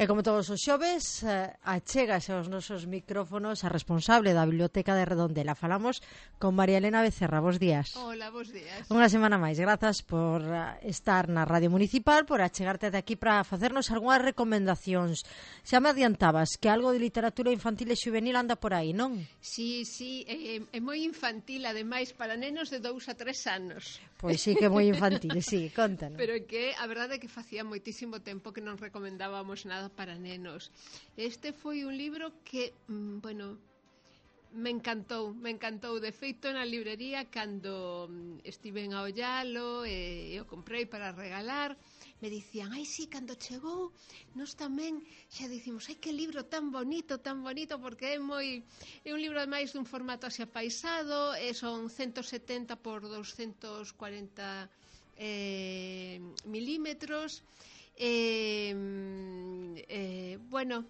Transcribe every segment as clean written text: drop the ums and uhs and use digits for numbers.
E como todos os xoves, achégase aos nosos micrófonos a responsable da Biblioteca de Redondela. Falamos con María Elena Becerra. Bos días. Hola, bos días. Unha semana máis. Grazas por estar na Radio Municipal, por achegarte de aquí para facernos algunhas recomendacións. Xa me adiantabas que algo de literatura infantil e juvenil anda por aí, non? Sí, é moi infantil, ademais, para nenos de 2 a 3 anos. Pois sí que é moi infantil, sí, contanos. Pero que a verdade é que facía moitísimo tempo que non recomendábamos nada para nenos. Este foi un libro que, bueno, me encantou. De feito, na librería, cando estiven a ollalo e o comprei para regalar, me dicían, ai, sí, cando chegou, nós tamén xa dicimos, ai, que libro tan bonito, porque é un libro máis dun formato así apaisado, son 170 por 240 milímetros, bueno,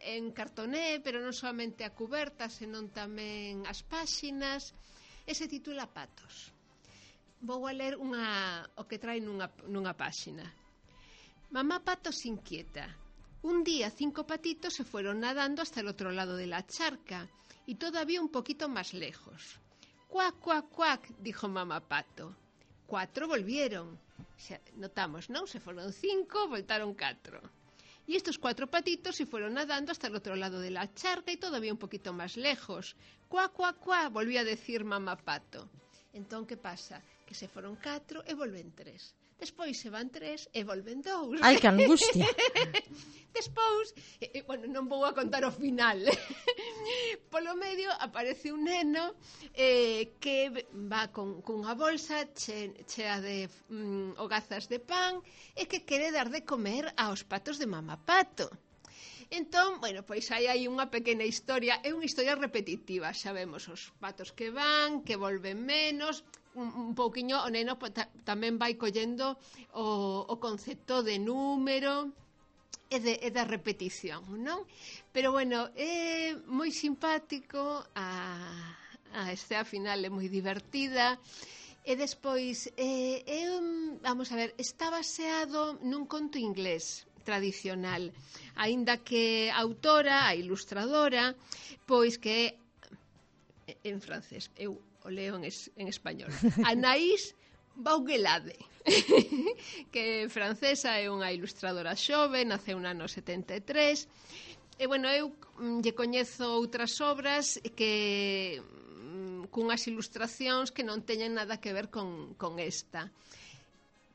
en cartoné, pero non solamente a cuberta, senón tamén as páxinas, e se titula Patos. Vou a ler o que trae nunha páxina. Mamá Pato se inquieta. Un día 5 patitos se fueron nadando hasta el otro lado de la charca y todavía un poquito más lejos. Cuac, cuac, cuac, dijo mamá Pato. 4 volvieron. Notamos, ¿no? Se fueron 5, voltaron 4. Y estos 4 patitos se fueron nadando hasta el otro lado de la charca y todavía un poquito más lejos. Cuac, cuac, cuac, volvió a decir mamá Pato. Entón, que pasa? Que se foron 4 e volven 3. Despois se van 3 e volven 2. Ai, que angustia. Despois, bueno, non vou a contar o final. Polo medio aparece un neno que va cunha bolsa chea de hogazas de pan e que quere dar de comer aos patos de mamá Pato. Entón, bueno, pois hai unha pequena historia, é unha historia repetitiva, xa vemos os patos que van, que volven menos, un pouquiño o neno tamén vai collendo o concepto de número e da repetición, non? Pero bueno, é moi simpático, a escena final é moi divertida, e despois, vamos a ver, está baseado nun conto inglés tradicional, aínda que a autora, a ilustradora, pois que en francés, eu o leo en español, Anaïs Baugelade, que francesa, é unha ilustradora xove, naceu no ano 73, e bueno, eu lle coñezo outras obras que cunhas ilustracións que non teñen nada que ver con esta.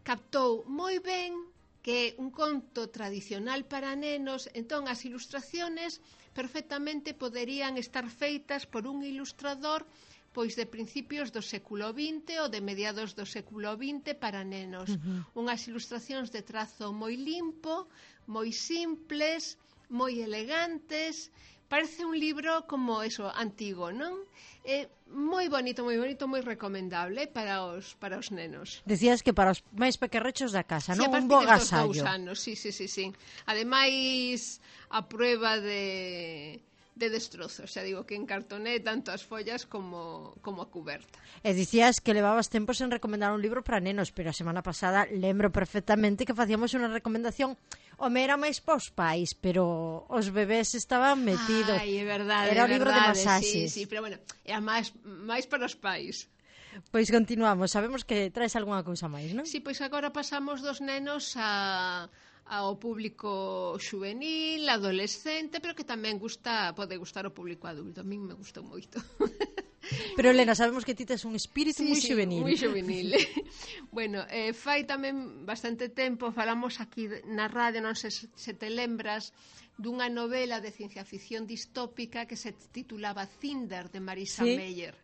Captou moi ben que é un conto tradicional para nenos, entón as ilustraciones perfectamente poderían estar feitas por un ilustrador pois de principios do século XX ou de mediados do século XX para nenos. Unhas ilustracións de trazo moi limpo, moi simples, moi elegantes. Parece un libro como eso, antigo, non? Moi bonito, moi recomendable para os nenos. Decías que para os máis pequerrechos da casa, non? Un bo agasallo. Sí, a partir destos 2 anos, sí. Ademais, a prueba de destrozos, xa digo que en cartoné tanto as follas como a cuberta. E dicías que levabas tempo sen recomendar un libro para nenos, pero a semana pasada lembro perfectamente que facíamos unha recomendación, home, era máis pos pais, pero os bebés estaban metidos. Ai, é verdade. Era o libro de masaxes. Sí, pero bueno, era máis para os pais. Pois continuamos, sabemos que traes algunha cousa máis, non? Sí, pois agora pasamos dos nenos ao público juvenil, adolescente, pero que tamén pode gustar ao público adulto. A min me gustou moito. Pero, Elena, sabemos que ti tes un espírito moi juvenil. Moi juvenil. Bueno, fai tamén bastante tempo, falamos aquí na radio, non sei se te lembras, dunha novela de ciencia ficción distópica que se titulaba Cinder, de Marisa Meyer,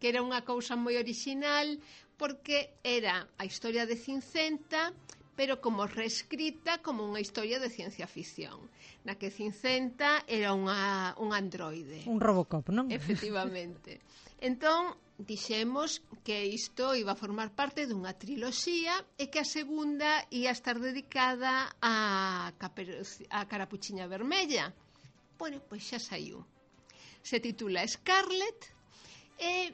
que era unha cousa moi original porque era a historia de Cincenta, pero como reescrita como unha historia de ciencia ficción, na que Cincenta era un androide. Un Robocop, non? Efectivamente. Entón, dixemos que isto iba a formar parte dunha triloxía e que a segunda ia estar dedicada a Carapuchiña Vermella. Bueno, pois xa saiu. Se titula Scarlet e,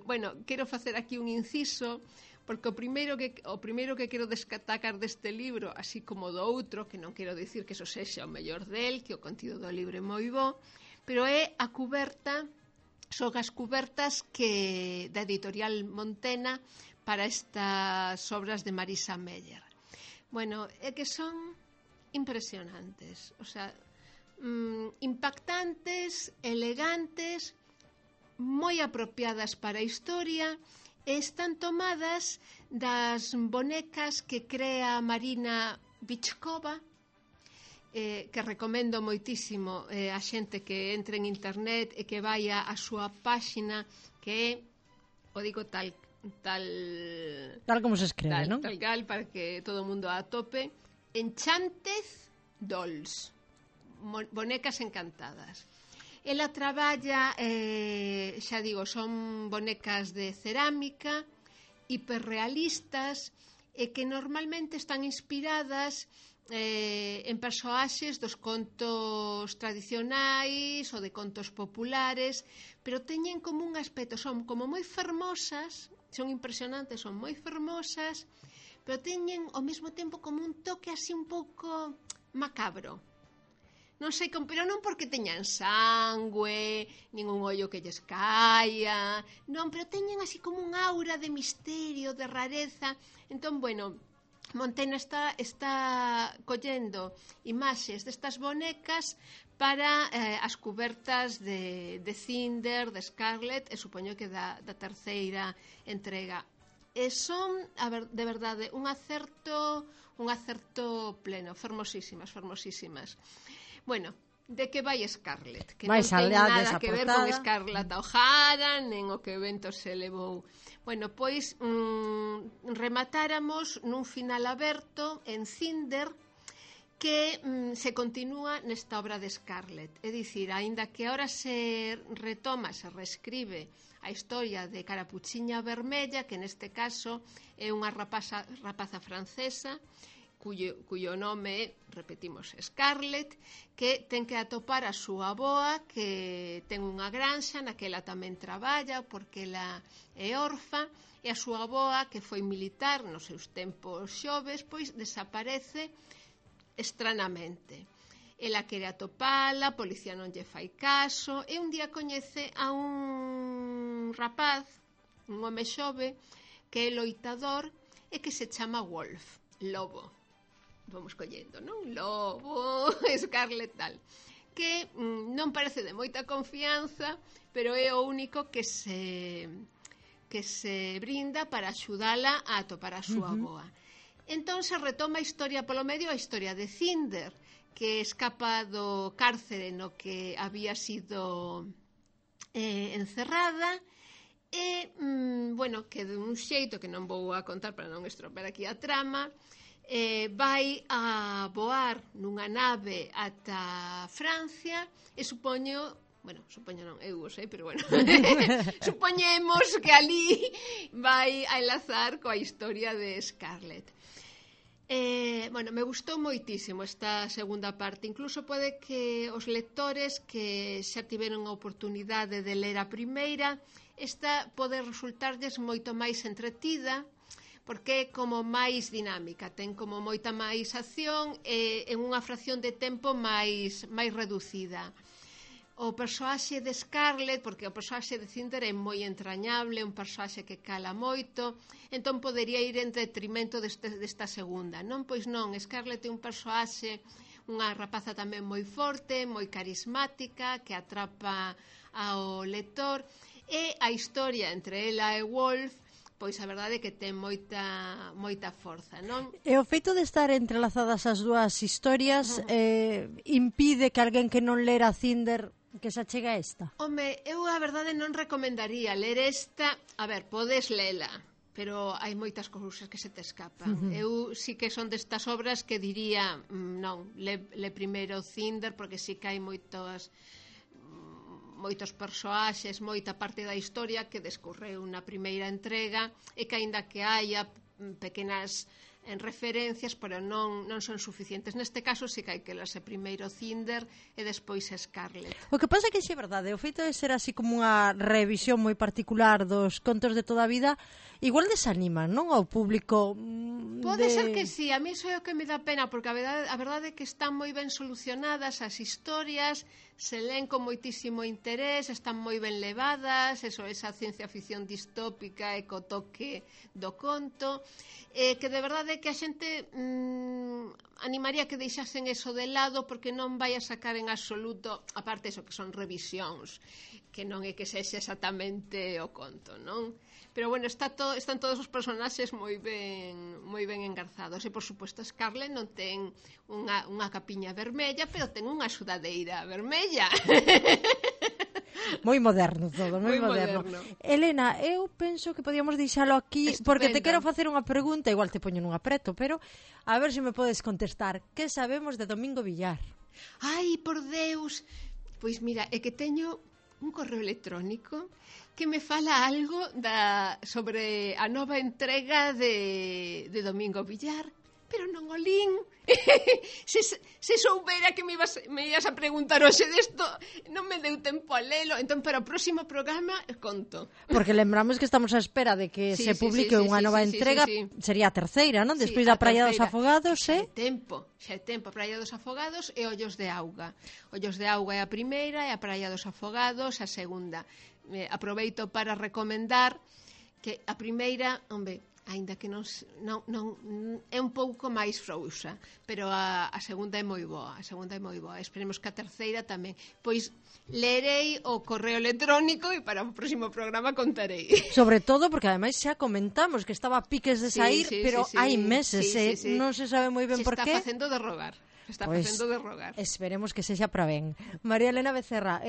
bueno, quero facer aquí un inciso porque o primeiro que quero destacar deste libro, así como do outro, que non quero dicir que eso sexa o mellor del, que o contido do libro é moi bo, pero é a cuberta, son as cubertas que da editorial Montena para estas obras de Marisa Meyer. Bueno, é que son impresionantes, o sea, impactantes, elegantes, moi apropiadas para a historia, e están tomadas das bonecas que crea Marina Bichkova, que recomendo moitísimo a xente que entre en internet e que vaya a súa páxina, que é, o digo tal como se escribe, non? Tal para que todo o mundo a atope, Enchanted Dolls, bonecas encantadas. Ela traballa, xa digo, son bonecas de cerámica, hiperrealistas, e que normalmente están inspiradas en persoaxes dos contos tradicionais ou de contos populares, pero teñen como un aspecto, son como moi fermosas, son impresionantes, son moi fermosas, pero teñen ao mesmo tempo como un toque así un pouco macabro. Non sei, pero non porque teñan sangue, nin un ollo que lles caia, non, pero teñen así como un aura de misterio, de rareza. Entón, bueno, Montena está collendo imaxes destas bonecas para as cubertas de Cinder, de Scarlet, e supoño que da terceira entrega. E son, de verdade, un acerto pleno, fermosísimas. Bueno, de que vai Scarlet? Que non ten nada que ver con Scarlett O'Hara, nen o que o vento se levou. Bueno, pois rematáramos nun final aberto en Cinder que se continúa nesta obra de Scarlet. É dicir, aínda que ahora se retoma, se reescribe a historia de Carapuchiña Vermella, que neste caso é unha rapaza francesa, cuyo nome é, repetimos, Scarlet, que ten que atopar a súa avoa, que ten unha granxa na que ela tamén traballa porque ela é orfa, e a súa avoa, que foi militar nos seus tempos xoves, pois desaparece estranamente. Ela quere atopala, a policía non lle fai caso, e un día coñece a un rapaz, un home xove, que é loitador e que se chama Wolf, lobo. Vamos collendo, non? Lobo, Scarlet tal, que non parece de moita confianza, pero é o único que se brinda para axudala a atopar a súa avoa. Entón se retoma a historia polo medio, a historia de Cinder, que escapa do cárcere no que había sido encerrada, e, bueno, que de un xeito que non vou a contar para non estropear aquí a trama, vai a voar nunha nave ata Francia e supoño non, eu o sei, pero bueno supoñemos que ali vai a enlazar coa historia de Scarlet. Bueno, me gustou moitísimo esta segunda parte, incluso pode que os lectores que xa tiveron a oportunidade de ler a primeira, esta pode resultarlles moito máis entretida, porque é como máis dinámica, ten como moita máis acción e en unha fracción de tempo máis reducida. O persoaxe de Scarlet, porque o persoaxe de Cinder é moi entrañable, un persoaxe que cala moito, entón podería ir en detrimento desta segunda, non? Pois non, Scarlet é un persoaxe, unha rapaza tamén moi forte, moi carismática, que atrapa ao lector, e a historia entre ela e Wolf, pois a verdade é que ten moita forza, non? E o feito de estar entrelazadas as dúas historias impide que alguén que non lera Cinder que se achega a esta? Home, eu a verdade non recomendaría ler esta. A ver, podes lela, pero hai moitas cousas que se te escapan. Eu sí que son destas obras que diría, non, le primeiro Cinder, porque sí que hai moitos persoaxes, moita parte da historia que descorreu na primeira entrega, e que aínda que haya pequenas en referencias, pero non son suficientes. Neste caso, sí que hai que lerse primeiro Cinder e despois Scarlett. O que pasa é que xe é verdade, o feito de ser así como unha revisión moi particular dos contos de toda a vida, igual desanima, non, ao público Pode ser que sí, a mí iso é o que me dá pena, porque a verdade é que están moi ben solucionadas as historias, se leen con moitísimo interés, están moi ben levadas, esa ciencia ficción distópica e co toque do conto, que de verdade que a xente animaría que deixasen eso de lado, porque non vai a sacar en absoluto, aparte eso que son revisións, que non é que sexa exactamente o conto, non? Pero bueno, están todos os personaxes moi ben engarzados, e por suposto Scarlett non ten unha capiña vermella, pero ten unha sudadeira vermella. Moi moderno todo, moi moderno. Elena, eu penso que podíamos deixalo aquí. Estupendo. Porque te quero facer unha pregunta, igual te poño nun apreto, pero a ver se me podes contestar. Que sabemos de Domingo Villar? Ai, por Deus! Pois mira, é que teño un correo electrónico que me fala algo sobre a nova entrega de Domingo Villar, pero non o lín. se soubera que me ibas a preguntar hoxe desto, non me deu tempo a lelo. Entón, para o próximo programa conto. Porque lembramos que estamos á espera de que se publique unha nova entrega. Sería a terceira, non? Despois da Praia dos Afogados, xa é tempo, Praia dos Afogados e Ollos de Auga. Ollos de Auga é a primeira e a Praia dos Afogados a segunda. Aproveito para recomendar que a primeira, aínda que non é un pouco máis frouxa, pero a segunda é moi boa, esperemos que a terceira tamén. Pois lerei o correo electrónico e para o próximo programa contarei. Sobre todo porque ademais xa comentamos que estaba a piques de sair, pero hai meses, non se sabe moi ben por qué. Se está facendo de rogar. Esperemos que sexa para ben. María Elena Becerra,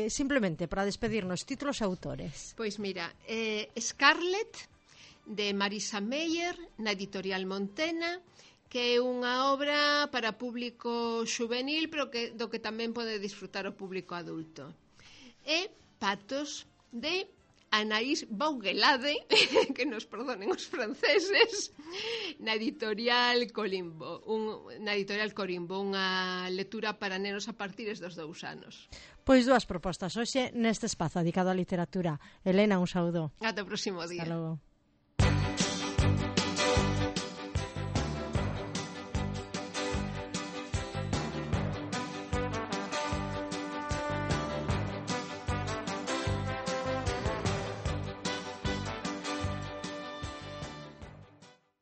simplemente para despedirnos, títulos e autores. Pois mira, Scarlett, de Marisa Meyer, na editorial Montena, que é unha obra para público xuvenil, pero do que tamén pode disfrutar o público adulto. E Patos, de Anaïs Baugelade, que nos perdonen os franceses, na editorial Corimbo, unha lectura para nenos a partir dos 2 anos. Pois dúas propostas hoxe neste espazo dedicado á literatura. Elena, un saúdo. Ata o próximo día. Hasta logo.